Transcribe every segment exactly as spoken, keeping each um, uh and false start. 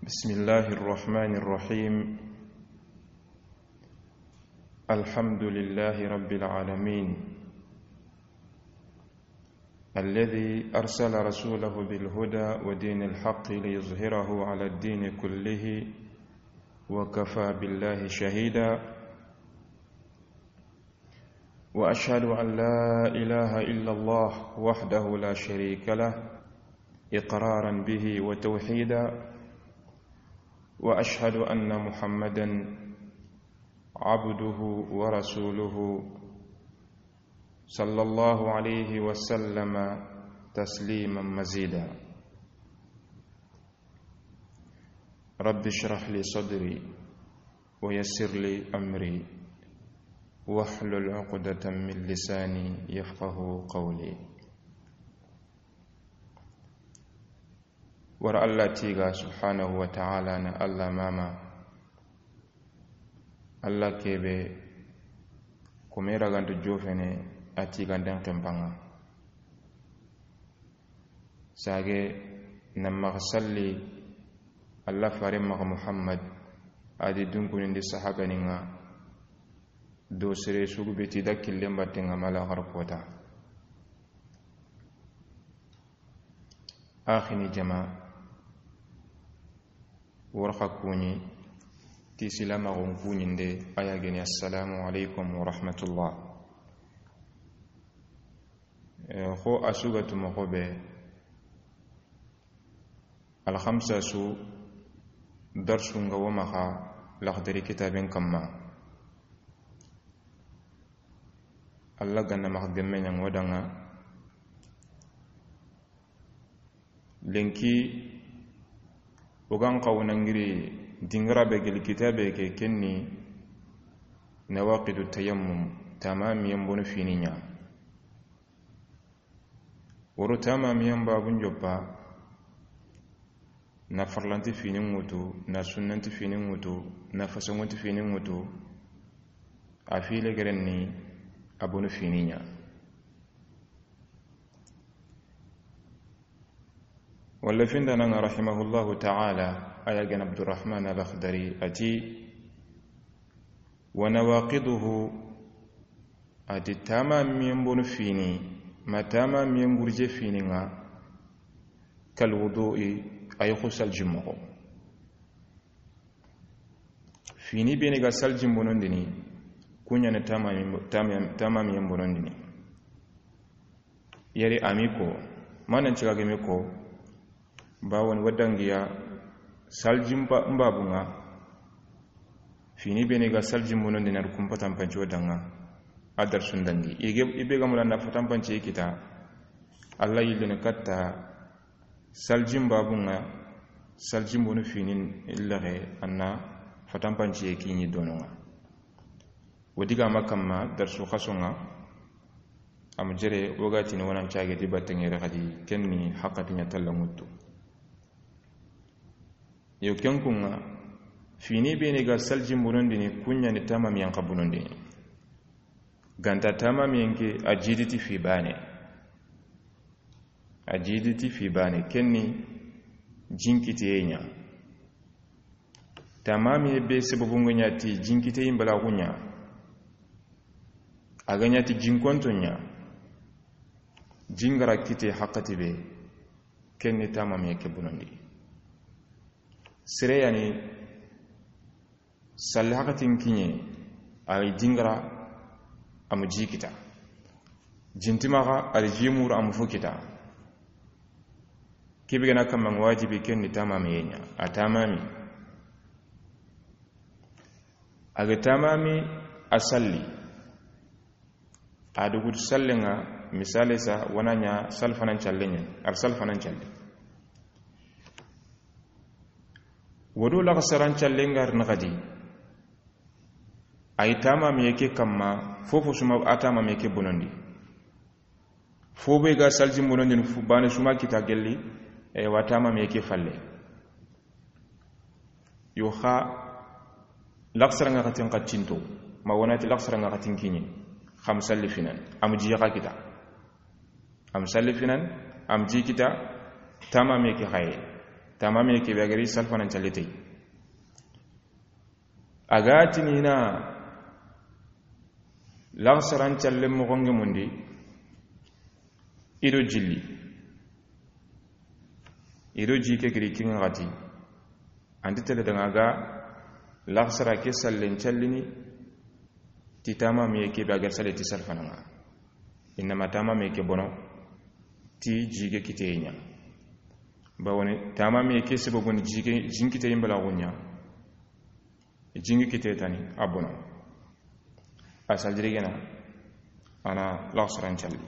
بسم الله الرحمن الرحيم. الحمد لله رب العالمين، الذي أرسل رسوله بالهدى ودين الحق ليظهره على الدين كله، وكفى بالله شهيدا. وأشهد أن لا إله إلا الله وحده لا شريك له، إقرارا به وتوحيدا، وأشهد أن محمدا عبده ورسوله، صلى الله عليه وسلم تسليما مزيدا. رب اشرح لي صدري ويسر لي أمري واحلل عقدة من لساني يفقه قولي. Wara Allah tiiga subhanahu wa ta'ala na Allah mama. Allah kebe kome raganto jofene a tiiganden kempanŋa. Sage na maxa salli Allah fare maxa Muhammad, a di dunkunindi sahabaninŋa do sere sugu be ti da killen battenŋa mala xar kota. Axini jama, warxa kuɲi ti silamaxun kuɲinde, a ya geni, assalamu alaikum wa rahmatullah. Eh, xo a sugatu moxo be, alxamsa su darsunŋa wo maxa Laxdari kitaben kamma. Allah ganna maxa gemme ɲaŋo danŋa. Lenki o gan xawo nangiri dingira be geli kitabe ke, kenni nawaqidu tayammum, tamamiyen bono fini ɲa. Woro tamamiyen babun joppa, na farlanti fini ŋutu, na sunnanti fini ŋutu, na fasangonti fini ŋutu, a file gerenni a bono fini ɲa. Walla findananŋa rahimahullahu ta'ala, a ya geni Abdurrahman al-Akhdari, a ti, wa nawaqiduhu, a ti tamamiyen bono fini, ma tamamiyen gurje finiŋa, kal wudu'i, a yi xo saljin moxo. Fini beni ga saljin bonondini, kuɲani tamamiyen, tamamiyen bonondini. Yeri ami ko, manan ciga geme ko, bawon wadangiya saljin ba, mbabunŋa, fini beni ga saljin bonondini ar kumpa tampanci wadanŋa, a darsun dangi. Ige, ibe ga mulana fatampanci kita, Allah yillene katta saljin babunŋa, saljin bonu finin illaxe, anna fatampanci ye kiɲi dononŋa. Wo diga ma kamma darsu xasonŋa, am jere wogatini wonan cage di batteŋere xadi, kenni haqqati ɲa talla ŋuttu. Yo kenkunŋa, fini beni ga saljin bonondini, kuɲani tamamiyen xa bonondini. Ganta tamamiyen ke a jiditi fi bane. A jiditi fi bane, kenni jinkiteye ɲa. Tamamiye be sababunŋa ɲa ti jinkiteyin balaxu ɲa. A ga ɲa ti jinkonto ɲa. Jingara kite haqqati be, kenni tamamiye ke bonondi. Sere yani salli haqqatin kiɲe, a yi jingara, a mu ji kita. Jintimaxa, a yi ji muru, a mu fu kita. Kibe gana kamma wajibi, kenni tamamiye ɲa, a tamami. A ga tamami, a salli. A dugutu sallenŋa, misale sa, wana ɲa salfanan callenŋa, ar salfanan calle. Wodo laxasaran callenŋa ar naxadi. A yi tamamiye ke kamma, fofo suma a tamamiye ke bonondi. Fo be ga saljin bonondini fu bane suma kita gelli, e, wa tamamiye ke falle. Yo xa, laxasaranŋa xatin xacinto, ma wonati laxasaranŋa xatin kiɲe, xam salli finan, am ji xa kita. Am salli finan, am ji kita, tamamiye ke xaye. Tamamiye ke be a ga ri salfanan calle tey. A ga tini na laxasaran calle moxo ŋa mundi, i do jilli, i do ji ke giri ken ŋa xati, an ti tele daŋa ga laxasara ke sallen callini ti tamamiye ke be a ga ri salle ti salfana ŋa. Innama tamamiye ke bono ti ji ke kiteye ɲa. Bawoni tamamiye ke sababuni ji ke, jin kiteye mbalaxu ɲa. Jin kiteye tani a bono. A saljiri gena, a na laxasaran calli.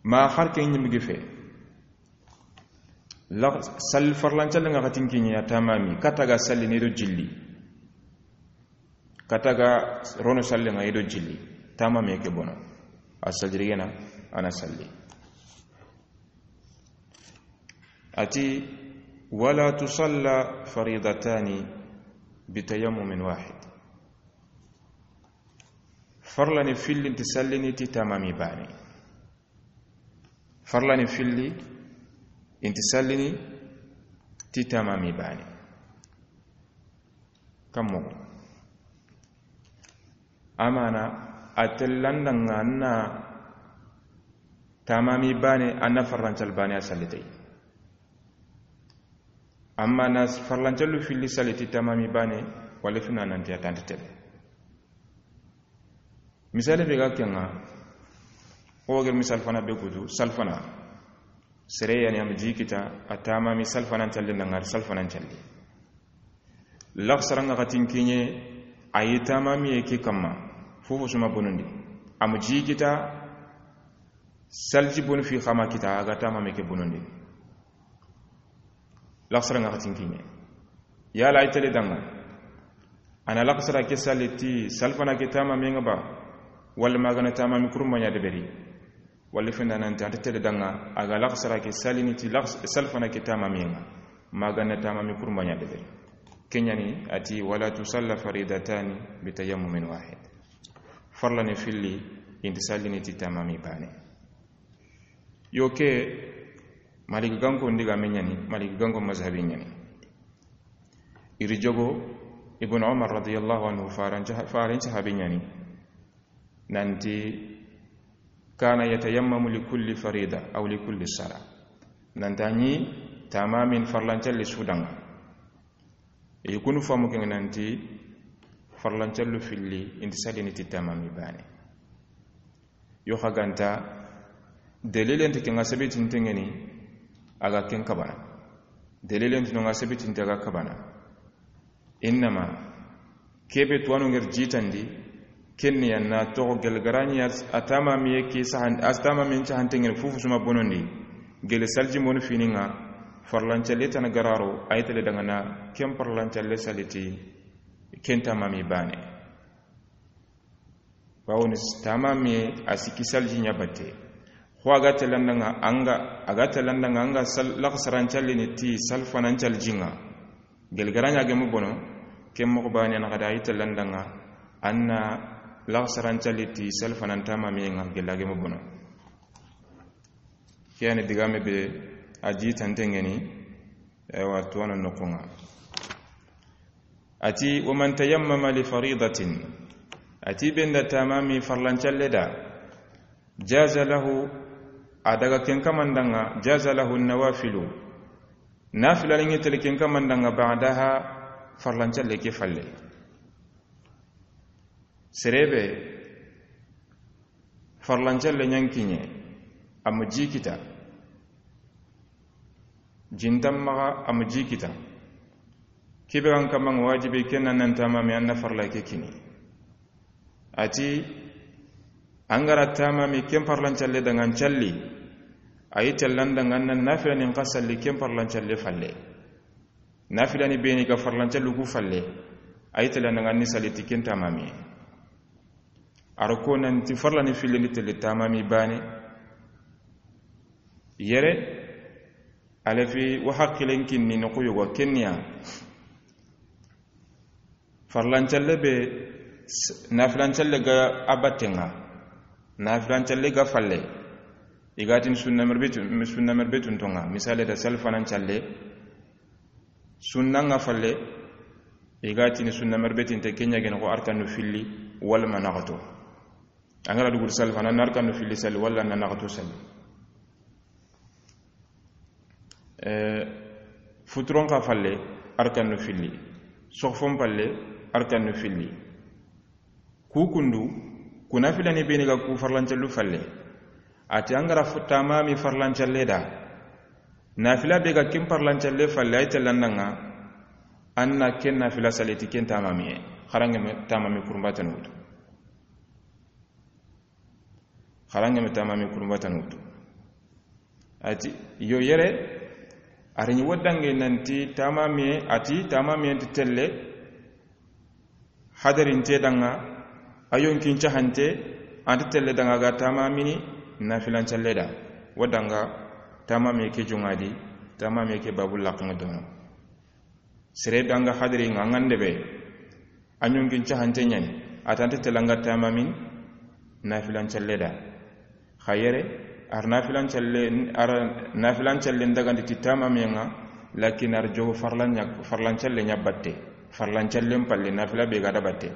Ma har ke ɲimbi gi fe. Lax-, sal-, farlan calle ŋa xatin kiɲe ya tamami, kata ga sallini do jilli. Kata ga rono sallen ŋa i do jilli. Tamamiye ke bono. A saljiri gena, a na salli. A ti, "Wala tusalla faridatani bitayammumin wahid." Farlani filli nti sallini ti tamami baane. Farlani filli nti sallini ti tamami baane. Kammo. Amana a tellandaŋa na tamami baane, a na farlan calle baane a sallitey. Amma na farlan callu filli salli ti tamami baane, walla fina nanti a tanta tele. Misali be ga ken ŋa, o ga ri misal fana be kutu, salfana. Sere yani a ma ji kita, a tamami salfanan calle na ŋari salfanan calle. Laxasaran ŋa xatin kiɲe, a yi tamamiye ke kamma, fofo su ma bonondi. A ma ji kita, salji bonu fi xa ma kita, a ga tamamiye ke bonondi. Laxasaran ŋa xatin kiɲe. Yala a yi tele daŋa, a na laxasara ke salli ti salfana ke tamamiye ŋa ba, walla ma ga na tamami kurumba ɲa deberi. Walla fenda nanti a nta tele daŋa, a ga laxasara ke sallini ti lax-, salfana ke tamamiye ŋa, ma ga na tamami kurumba ɲa deberi. Ken ɲa ni a ti, "Wala tusalla faridatani bitayammumin wahid." Farlani filli nti sallini ti tamami baane. Yo ke, Maliki ganko ndigaame ɲa ni, Maliki ganko mazhabi ɲa ni. I ri jogo Ibn Umar radiyallahu anhu, faran ca-, faran sahabi ɲa ni. Nanti, "Kana yatayammamu li kulli farida aw li kulli sala." Nanti a ɲi tamamin farlan calli su daŋa. I kunu famu ken ŋa nanti farlan callu filli nti sallini ti tamami baane. Yo xa ga nta dalilen ti ken ŋa sabiti nte ŋeni, a ga ken kabana. Dalilen ti no ŋa sabiti nte a ga kabana. Innama ke be tuwanu ŋeri jitandi, ken ni ya na toxo gel garani ya s-, a tamamiye ke sahan-, a tamamiyen cahante ŋeni fufu su ma bonondi. Gel salji monu fini ŋa, farlan calle tana gararo, a yi tele daŋa na ken farlan calle saliti ken tamami baane. Bawoni s-, tamamiye a sikki salji ɲa batte. Xo a ga telandaŋa anga, a ga telandaŋa anga sal-, laxasaran callini ti salfanan calji ŋa. Gel garani a gemu bono, ken moxo baane na xa da a yi telandaŋa, a na laxasaran calli ti salfanan tamamiye ŋa gel a gemu bono. Ke yani digaame be a jitante ŋeni, ewa, tuwano noxo ŋa. A ti, "Wa man tayammama li faridatin." A ti, benda tamami farlan calle da. Jaza lahu, a daga ken kamandaŋa, jaza lahu nawafilu. Nafila ni ŋetele ken kamandaŋa ba'daha, farlan calle ke falle. Sere be farlan calle ɲa n kiɲe, a ma ji kita. Jintan maxa a ma ji kita. Ke be ga n kaman wajibi ken na nan tamami a na farla ke kini. A ti, an ga ra tamami ken farlan calle daŋa n calli. A yi tellan daŋa na nafila ni n xa salli ken farlan calle falle. Nafila ni be ni ga farlan callu ku falle. A yi tellan daŋa ni salli ti ken tamami. A ro ko nanti farla ni filli ni telle tamami baane. Yere, a lefi wa haqilen kinni noxu yogo ken ni ya. Farlan calle be s-, nafilan calle ga a batte ŋa. Nafilan calle ga falle. I ga tini sunna merbetun, sunna merbetun tonŋa, misale da salfanan calle, sunna ŋa falle, i ga tini sunna merbetinte, ke ɲa gene xo arkanu filli, walla ma naxato. An ga ra dugu salfana, na arkanu filli salli, walla na naxato salli. Eh, futuron xa falle, arkanu filli. Soxfon falle, arkanu filli. Ku kundu, ku nafilani beni ga ku farlancallu falle. A ti an ga ra fu-, tamami farlancalle da. Nafila be ga ken farlancalle falle, ay tellandaŋa, an na ken nafila saliti ken tamamiye. Xaranŋe me tamami kurumbatanu wutu. Xaranŋe me tamami kurumbatanu wutu. A ti, yo yere, a ri ɲi wo danŋe nanti tamamiye, a ti tamamiye nti telle, hadarinte danŋa, a yonkin cahante, a nti telle danŋa ga tamamini, nafilancalle da. Wo danŋa, tamamiye ke joŋa di, tamamiye ke babu laxaŋa dono. Sere be an ga hadari ŋa, an ga nde be, a ɲonkin cahante ɲani, a tante telanga tamamin nafilancalle da. Xa yere, ar nafilancalle, ar nafilancalle ndagandi ti tamamiye ŋa, lakin ar jogo farlan ɲa, farlancalle ɲa batte. Farlancallen palle, nafila be ga da batte.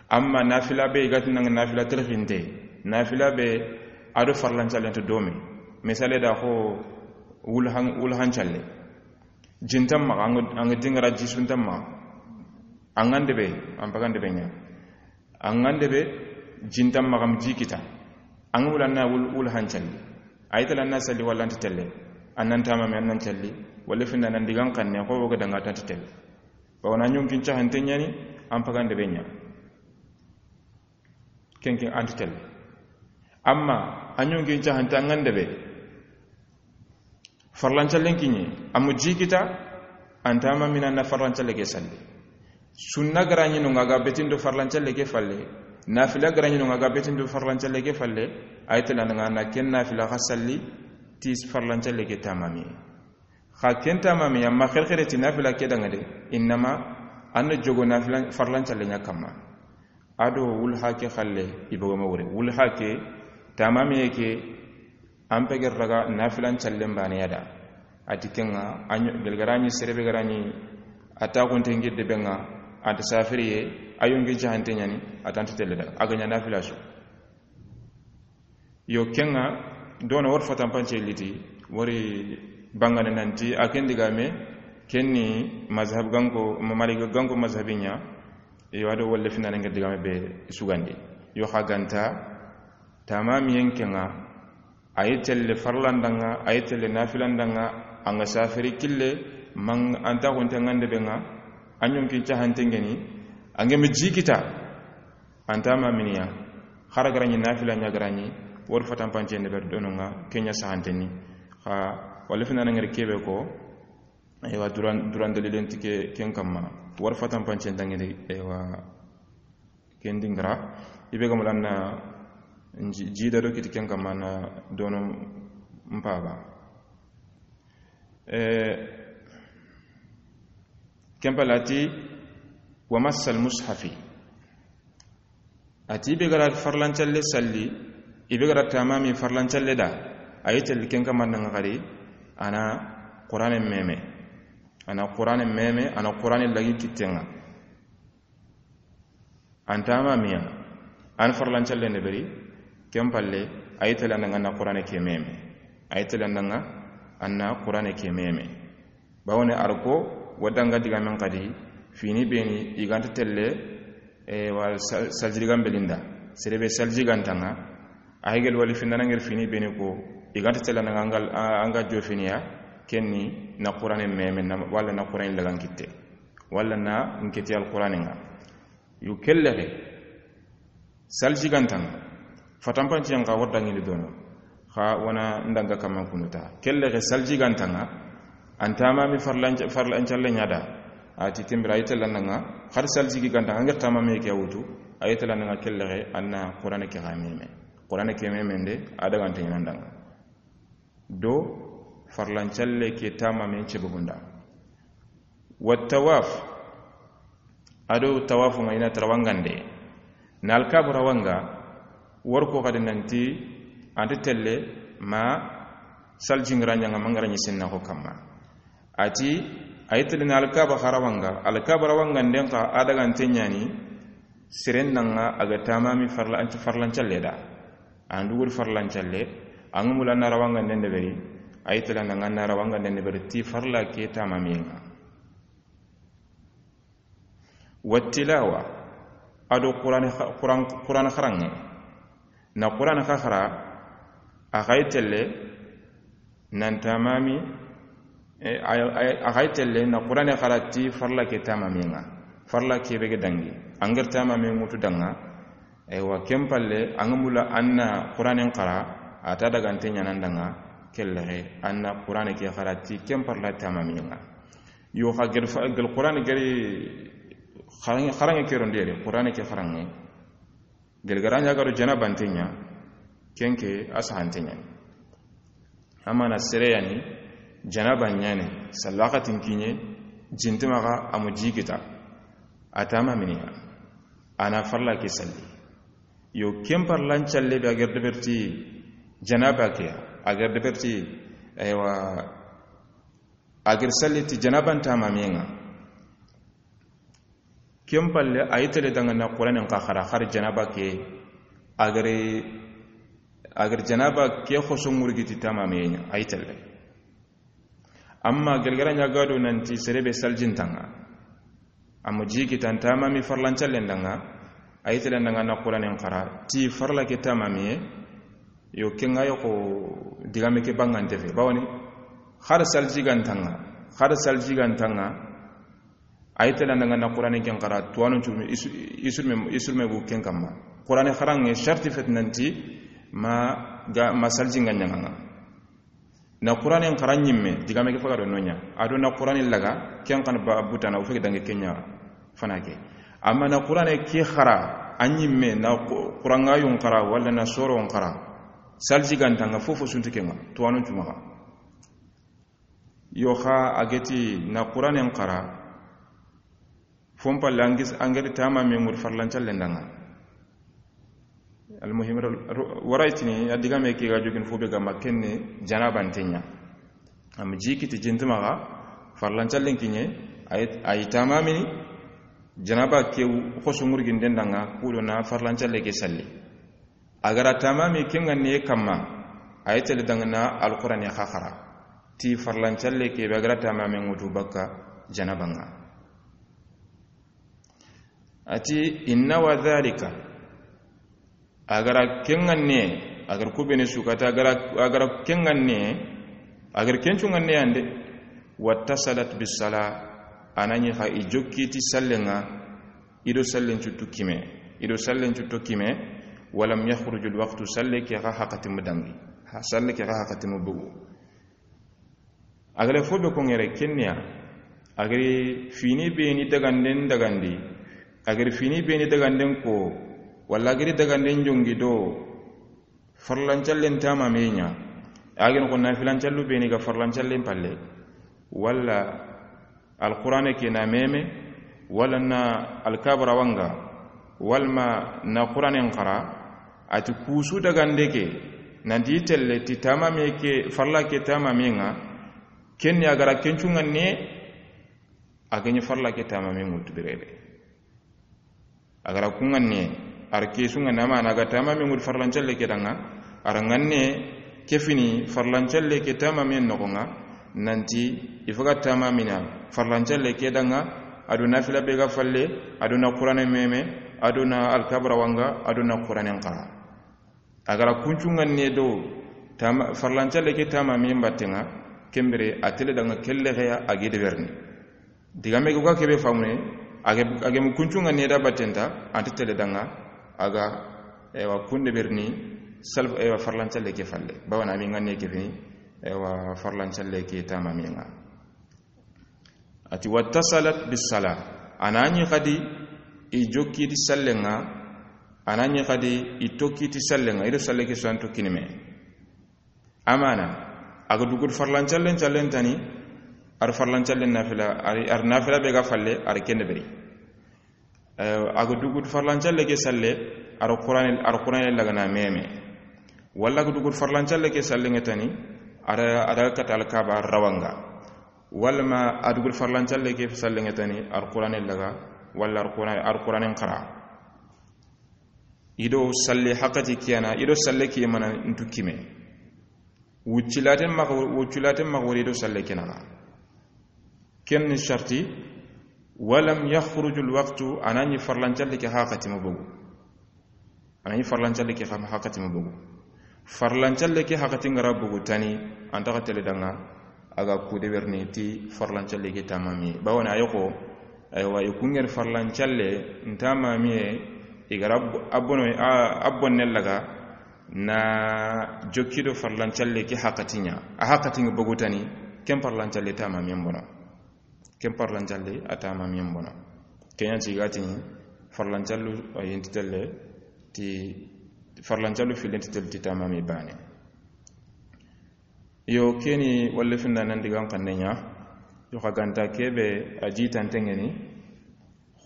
Amma nafila be i ga ti nanga nafila terxinte, nafila be a do farlancalle nta domi. Misale da xo wulhan, wulhancalle. Jintan maxa, an ga, an ga dingara jisuntan maxa. An ga nde be, an paga nde be ɲa. An ga nde be, jintan maxa, am ji kita. An ga wula na wul, wulhancalli. Ay tala na salli walla nta telle. An nan tamami, an nan calli. Walla finna nan digan xanne, xo wo ga danga tante telle. Bawo na ɲonkin cahante ɲani, an paga nde be ɲa. Kenke an ti telle. Amma a ɲonkin cahante an ga nde be, farlancallen kiɲe, a mu ji kita, an tamamina na farlancalle ke salli. Sunna ga ra ɲi no ŋa ga betin do farlancalle ke falle, nafila ga ra ɲi no ŋa ga betin do farlancalle ke falle, ay telanda ŋa na ken nafila xa salli, ti farlancalle ke tamami. Xa ken tamami, amma xerxere ti nafila ke danŋa de, innama an na jogo nafila farlancalle ɲa kamma. A do wulha ke xalle, i bogo ma wure. Wulha ke, tamamiye ke, an peger daga nafilancallen bane ya da. A ti ken ŋa, a ɲo, gel ga ra ɲi sere be ga ra ɲi, a ta xunte ngidde be ŋa, a ta safiriye, a yonkin cahante ɲani, a tante telle daga. A ga ɲa nafila su. Yo, ken ŋa, dono wori fatanpance liti, wori bangane nanti, a ken digame, ken ni mazhab ganko, ma-, Malik ganko mazhabi ɲa, yo, a do wolle finane ŋa digame be sugandi. Yo, xa ga nta, tamamiyen ken ŋa, a yi telle farlandaŋa, a yi telle nafilandaŋa, an ga safiri kille, man an ta xunte ŋa nde be ŋa, a ɲonkin cahante ŋeni, a ŋeme ji kita, an tamaminiya, xara ga ra ɲi nafila ɲa ga ra ɲi, wori fatanpance nde ber dono ŋa, ken ɲa sahanteni. Xa, walla finana ŋeri kebe ko, aywa, duran, duran dalilen ti ke, ken kamma, wori fatanpance nda ŋeri, aywa, ken dingira, i be ga mala na ji-, jida do kiti ken kamma na dono mpaba. Eh, ken palati, wa massal mushafi. A ti i be ga ra farlancalle salli, i be ga ra tamami farlancalle da, a yi telle ken kamma na ŋa xari, a na Qur'ane meme. A na Qur'ane meme, a na Qur'ane lagi kitte ŋa. An tamamiya, an farlancalle nde beri, ken palle, a yi telle an na ŋa na Qur'ane ke meme. A yi telle an na ŋa, an na Qur'ane ke meme. Bawone arko, wadanga digamen xadi, fini beni, i ga nta telle, e, wa sa-, saljigan belinda. Sere be saljigan taŋa, a hegel wali finana ŋer fini beni ko, i ga nta telle na ŋa an ga, an ga jo finiya, ken ni na Qur'ane meme, na, walla na Qur'ane lagan kitte. Walla na nketi Alqur'ane ŋa. Yo, kellexe, saljigantaŋa, fatanpanciyen xa wori daŋini dono, xa wona ndanga kamman kunuta. Kellexe, saljigantaŋa, an tamami farlanca-, farlancalle ɲa da, a ti tembira, a yi tellandaŋa, xar saljigantaŋa, an ŋer tamami ke wutu, a yi tellandaŋa, kellexe, an na Qur'ane ke xa meme. Qur'ane ke meme nde, a dagante ɲanandaŋa. Do farlancalle ke tamamen cebegunda. Wa tawaf, ado tawafu ŋa i na tarawangande. Na alkabu rawanga, wori ko xadi nanti, anti telle, ma saljin ga ra ɲa ŋa, ma n ga ra ɲi senna xo kamma. A ti, a yi tele na alkaba xa rawa ŋa, alkaba rawa ŋa nden xa a daga nte ɲaani, seren na ŋa a ga tamami farla, an ti farlancalle da. An dugu di farlancalle, an ga mula na rawa ŋa nden deberi, a yi tele na ŋa na rawa ŋa nden deberi ti farla ke tamamiye ŋa. Wattilawa, a do Qur'an, Qur'an, Qur'an xaranŋe. Na Qur'an xa xara, a xa yi tele nan tamami, e, a, a, a xa yi tele na Qur'an xara ti farla ke tamamiye ŋa. Farla ke be ga dangi. An ga ra tamamiye ŋutu da ŋa, eywa, ken palle, an ga mula an na Qur'an xara, a ta daga nte ɲaana n da ŋa, kelle xe, an na Qur'an ke xara ti ken farla tamamiye ŋa. Yo xa gel fa, gel Qur'an geri xaranŋe, xaranŋe ke ro ndere, Qur'an ke xaranŋe. Gel ga ra ɲa ga do janaba nte ɲa, ken ke a saha nte ɲa. Amana sere ya ni, janaba ɲaana, salla waxatin kiɲe, ji nta maxa, a mu ji kita, a tamamini ya, a na farla ke salli. Yo, ken farlancalle be a ga ra deberi ti janaba ke, a ga ra deberi ti, eywa, a ga ra salli ti janaba n tamamiye ŋa. Ken palle, a yi tele da ŋa na Qur'an xa xara, xari janaba ke, a ga ra, a ga ra janaba ke xoso ŋurgi ti tamamiye ɲa, a yi tele. Amma gel ga ra ɲa ga do nan ti sere be saljin ta ŋa, a mu ji kita n tamami farlancallen da ŋa, a yi tele da ŋa na Qur'an xara ti farla ke tamamiye. Yo, ken ŋa yo xo digame ke bangante fe. Bawoni, xari salji ga nta ŋa, xari salji ga nta ŋa, a yi tele da ŋa na Qur'an ken xara, tuwanu cu, isu, isurme, isurme bu ken kamma. Qur'an xaranŋe sharti fe ti nan ti ma ga, ma salji ŋa ɲaŋa ŋa. Na Qur'an xara ɲimme, digame ke faga do no ɲa. A do na Qur'an laga, ken xa na ba butana, o fe ga dangi ken ɲa fana ke. Amma na Qur'an ke xara, a ɲimme, na Qu-, Qur'an ŋa yun xara, wala na soro n xara. Salji ga nta ŋa, fofo su nta ke ŋa, tuwanu cu maxa. Yo xa a ga ti na Qur'an xara, fo n palle an ga ra, an ga ra tamami ŋuri farlancallen da ŋa. Almuhim, ro-, ro-, wara i tini, a digame ke ga jogin fo be ga ma ken ni janaba nte ɲa. A mu ji kiti ji nta maxa, farlancallen kiɲe, a yi, a yi tamamini, janaba ke xoso ŋurginden da ŋa, ku do na farlancalle ke salli. A ga ra tamami ken ŋa ne kamma, a yi tele da ŋa na Alqur'an xa xara ti farlancalle ke be a ga ra tamami ŋutu bakka janaba ŋa. A ti, inna wa dhalika, a ga ra ken ŋa ne, a ga ra ku be ne su kata, a ga ra, a ga ra ken ŋa ne, a ga ra ken cu ŋa ne ya nde, wattasalat bis sala, a na ɲi xa i jokki ti sallen ŋa, i do sallen cu tu kime, i do sallen cu to kime, walam yakhruju al waqtu, salle ke xa haqati mu dangi, ha, salle ke xa haqati mu bugu. A ga ra fo be ko ŋere ken ni ya, a ga ra fini be ni daganden dagandi, a ga ra fini be ni daganden ko, wala a ga ra daganden jongi do farlancallen tamamiye ɲa, a ga ra ko nafilancallu be ni ga farlancallen palle, wala Alqur'ane ke na meme, wala na alkaba rawa ŋa, wala ma na Qur'anen xara, a ti ku su dagande ke, nan ti telle ti tamamiye ke, farla ke tamamiye ŋa, ken ni a ga ra ken cu ŋa ne, a ga ɲi farla ke tamamiye ŋutu birebe. A ga ra ku ŋa ne, a ra ke su ŋa ne, amana a ga tamami ŋuri farlancalle ke da ŋa, a ra ŋa ne ke fini farlancalle ke tamami noxo ŋa, nan ti i faga tamamina farlancalle ke da ŋa, a do nafila be ga falle, a do na Qur'ane meme, a do na alkaba rawa ŋa, a do na Qur'anen xara. A ga ra ku cu ŋa ne do tama-, farlancalle ke tamami n batte ŋa, ken bire a tele da ŋa kelle xeya a ga de berni. Digame ga ke be famune, a ga, a ga mu ku cu ŋa ne da batte nta, a nta tele da ŋa, a ga, eywa, ku de berni, sal-, eywa, farlancalle ke falle. Bawana a mi ŋa ne ke fini, eywa, farlancalle ke tamami ŋa. A ti, wattasalat bis sala. A na ɲi xadi i jokki ti sallen ŋa, a na ɲi xadi i tokki ti sallen ŋa, i do salle ke su an tokkini me. Amana, a ga dugu farlancallen, callen tani, a ra farlancallen nafila, a ra, a ra nafila be ga falle, a ra ken de beri. Eh, a ga dugu farlancalle ke salle, a ra Qur'ane, a ra Qur'ane lagana meme. Walla ga dugu farlancalle ke sallen ŋa tani, a da, a da kata Alkaaba rawa ŋa. Walla ma a dugu farlancalle ke sallen ŋa tani, Alquraanen laga, walla Alquraan-, Alquraanen xara. I do salle haqqati kiyana, i do salle kiye mana ntu kime. Wuccilaten maxa, wuccilaten maxa wori i do salle kenaxa. Ken ni sarti, walam yakhruju alwaqtu, a na ɲi farlancalle ke haqqati ma bogu. A na ɲi farlancalle ke haqqati ma bogu. Farlancalle ke haqqati ŋa ra bogu tani, an ta xa tele danŋa, a ga ku deberini ti farlancalle ke tamami. Bawoni a yi ko, aywa, i ku ŋeri farlancalle ntamamiye, i ga ra bo-, a bono, a, a bonne laga, na jokki do farlancalle ke haqqati ɲa. A haqqati ŋa bogu tani, ken farlancalle tamamiyen bono. Ken farlancalle a tamamiyen bono. Ken ɲa ti ga ti farlancallu a yi nti telle ti, farlancallu fillen nti telle ti tamami baane. Yo, ke ni walla finda nan digan xanne ɲa. Yo, xa ga nta ke be a jitanten ŋa ni.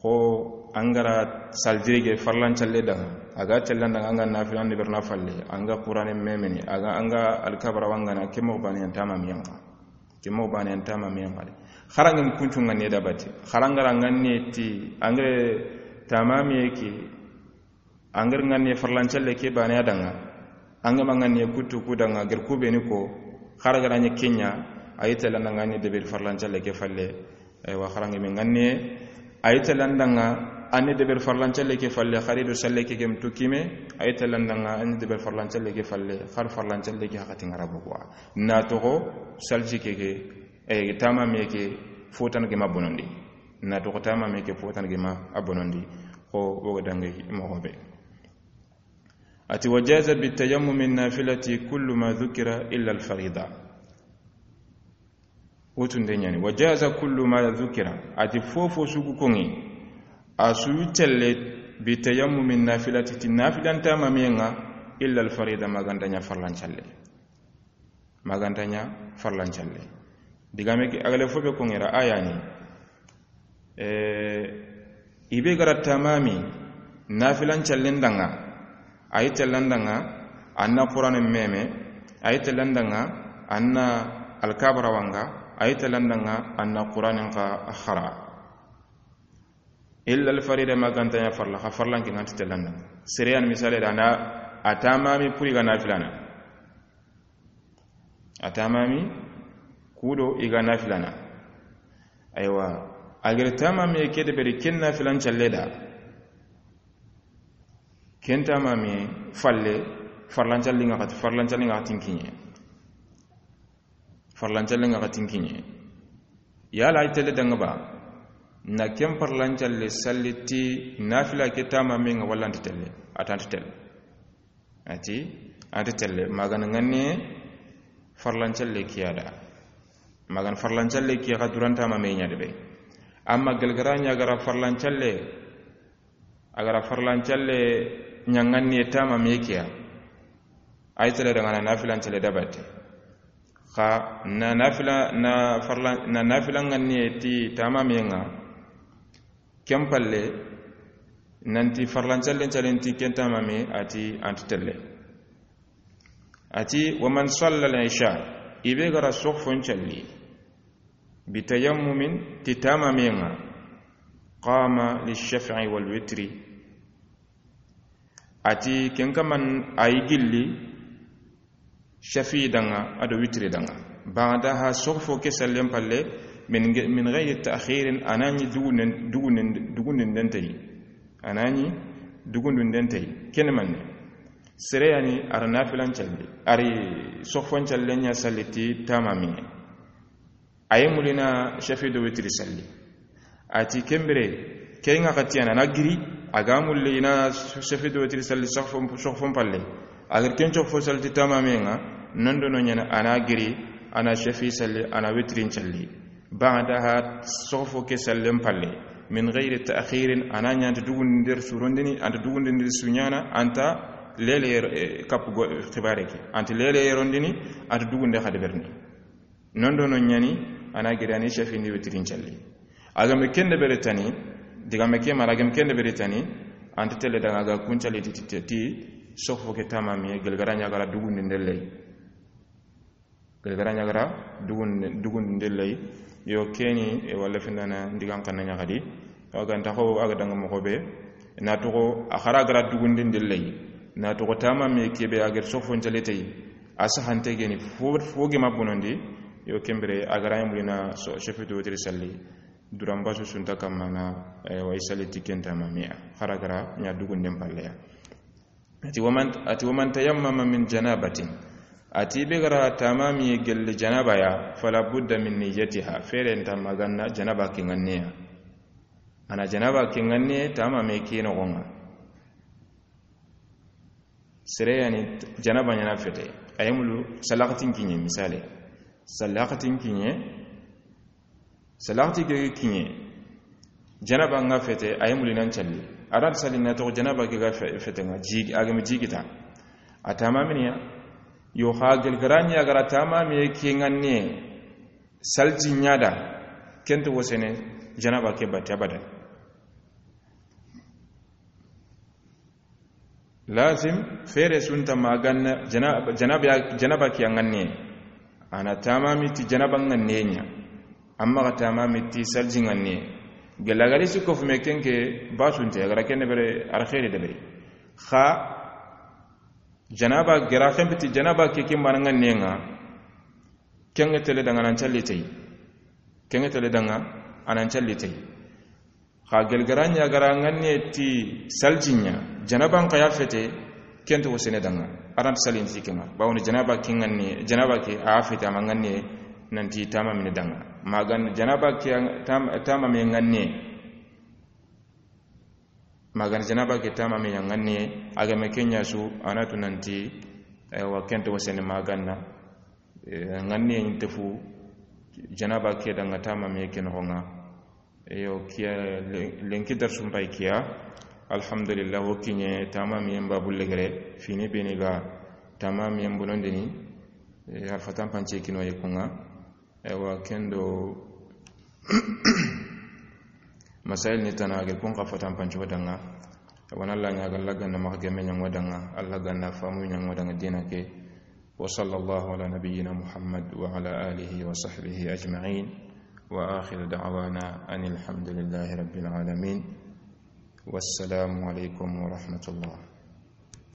Xo an ga ra salle jirige farlancalle danŋa, a ga telle an danŋa, an ga nafila ndi berna falle, an ga Quraanen memeni, a ga an ga Alkaaba rawa ŋa na, ke moxo baane ya ntamamiyen xa. Ke moxo baane ya ntamamiyen xa de. Xaranŋen kuncu ŋa ni da bati. Xaranŋa ra ŋa ni ti, an ga tamamiye ke, an ga ŋa ni farlancalle ke baane ya danŋa. An ga ma ŋa ni kuttu ku danŋa, gere ku be ni ko, xara ga ra ɲi ke ɲa, a yi telle an danŋa ni deberi farlancalle ke falle. Aywa, xaranŋe me ŋa ni, a yi telle an danŋa, an ni deberi farlancalle ke falle, xari do salle ke ke ntu kime, a yi telle an danŋa, an ni deberi farlancalle ke falle, xar farlancalle ke haqqati ŋa ra bogu. Na toxo, salji ke ke, e, tamamiye ke, fo tana ge ma bonondi. Na toxo tamamiye ke, fo tana ge ma a bonondi. Xo, o ga danŋa moxo be. A ti, wa jaza bi tayammumi nafilati kullu ma dhukira illa al farida. Wo tunde ɲa ni, wa jaza kullu ma dhukira. A ti fofo su ga koŋi, a su yi telle bi tayammumi nafilati ti nafilan tamamiyen ŋa, illa al farida, ma ga nta ɲa farlancalle. Ma ga nta ɲa farlancalle. Digame ke, a ga le fo be koŋera a ya ni. E, i be ga ra tamami nafilancallen danŋa, a yi telle an danŋa, an na Quraanen meme, a yi telle an danŋa, an na Alkaaba rawa ŋa, a yi telle an danŋa, an na Quraanen xa xara. Illa al farida, ma ga nta ɲa farla, xa farlanke ŋa nti telle an danŋa. Sere ya ni misale da na a tamami pour i ga nafilana. A tamami kudo i ga nafilana. Aywa, a gere tamami ke deberi ken nafilancalle da. Ken tamami falle, farlancalle ŋa xati, farlancalle ŋa xati n kiɲe. Farlancalle ŋa xati n kiɲe. Yala a yi telle danŋa ba, na ken farlancalle salli ti nafila ke tamamiyen ŋa walla a nta telle? A ta nta telle. A ti, a nta telle, ma ga na ŋa ni farlancalle ke ya da. Ma ga na farlancalle ke ya, xa duran tamamiye ɲa de be. Amma gele ga ra ɲa a ga ra farlancalle, a ga ra farlancalle ɲa ŋa ni tamamiye ke ya. A yi telle danŋa na nafilancelle da bati. Xa na nafila, na farla, na nafila ŋa ni ti tamamiyen ŋa. Ken falle, nanti farlancallen callen ti ken tamami, a ti a nta telle. A ti, wa man salla al-isha, i be ga ra soxfon calli, bi tayammumin, ti tamamiyen ŋa, qama li shaf'i wal witri. A ti ken kaman a yi gilli, shafi danŋa, a do witiri danŋa. Ba'daha, soxfo ke sallen falle, min ge-, min ghayri ta'khirin, a na ɲi dugunden, dugunden, dugunden den tayi. A na ɲi dugunden den tayi. Ken ni manne? Sere ya ni a ra nafilan calli, a ri soxfon callen ɲa salli ti tamamiye. A yi mulla i na shafi do witiri salli. A ti ken bire, ke ŋa xati a na giri, a ga mulla i na shafi do witiri salli soxfon, soxfon falle. A giri ken soxfo salli ti tamamiye ŋa, non do no ɲa ni a na giri, a na shafi salli, a na witirin calli. Ba'daha, soxfo ke sallen falle. Min ghayri ta'khirin, a na ɲa a nta dugunden su rondini, a nta dugunden su ɲaana, a nta lele, eh, kapu go-, xibaare ke. A nta lele rondini, a nta dugunde xa deberini. Non do non ɲa ni, a na giri a ni shafi ndi witirin calli. A ga me ken deberi tani, digame ke ma a ga me ken deberi tani, a nta telle danŋa a ga kun calli ti, ti, ti, sofo ke tamamiye, gelgara ɲa gara dugundi ndellay. Gelgara ɲa gara dugundi ndellay. Yo, keni e walla findana ndigan kanna ɲa xadi. Awa ganta xo a ga danga moxo be, na toxo a xara gara dugundi ndellay, na toxo tamamiye kebe a geri sofo ncaletey. A sahante geni fo, fo gema bonondi. Yo, kembere a gara yamulina so, sefetu wotiri salli. Duran basu sunta kamana, e, wa i salli ti ken tamamiya. Xara gara ɲa dugunden palleya. Ati waman, ati waman tayammama min janabatin. Ati be gara tamamiye gelle janaba ya, fala budda min niyyatiha. Fere nta maganna janaba ke ŋanneya. Ana janaba ke ŋanne tamamiye ke noxonŋa. Sere yani janaba ɲana fete. Ayemulu salaxatin kiɲe misale. Salaxatin kiɲe. Salaxati ke kiɲe. Janaba nga fete, ayemuli nan calli. Aran salli na toxo janaba ke ga fe-, fete nga, jigi, a ga mi jigita. A tamaminiya. Yo xa gelgara ɲa gara tamamiye ke ŋanne. Salji ɲa da. Kento wosene janaba ke batte abadan. Lazim fere sunta maganna janaba, janaba, janaba ke ŋanne. Ana tamami ti janaba ŋanne ɲa. Amma ga tamami ti salji ŋanne. Gela gari su ko fume kenke basunte gara kenne bere ar khairi de bere. Xa janaba gera khembe ti janaba ke ke mana ŋanne nga. Kenge tele danga nan calli tey. Kenge tele danga anan calli tey. Xa gelgara ɲa gara ŋanne ti salji ɲa, janaban xa ya fete, kento wo sene danga. Aran salin ti kenga. Bawoni janaba ke ŋanne, janaba ke a fete ama ŋanne nanti tamamine danga. Magan janaba ke tam-, tamame ŋanne. Magan janaba ke tamame ya ŋanne, a ga me kenya su, anatu nanti, e, wa kento wo sene maganna. E, ŋanne inte fu, janaba ke danga tamame ke noxonŋa. Eyo, kiya le-, lenki darsu mbay kiya. Alhamdulillah, wo kiɲe tamamiyen babu legere, fini beni ga tamamiyen bonondini, e, arfatan pance kino ye kunga. Ewa, kendo masail ni tana ge kun ka fatan pance wadanga. Wana Allah ɲa ga laganna maxa gemme ɲango danga, Allah ganna famu ɲango danga dina ke. وصلى الله على نبينا محمد وعلى آله وصحبه أجمعين، وآخر دعوانا أن الحمد لله رب العالمين، والسلام عليكم ورحمة الله.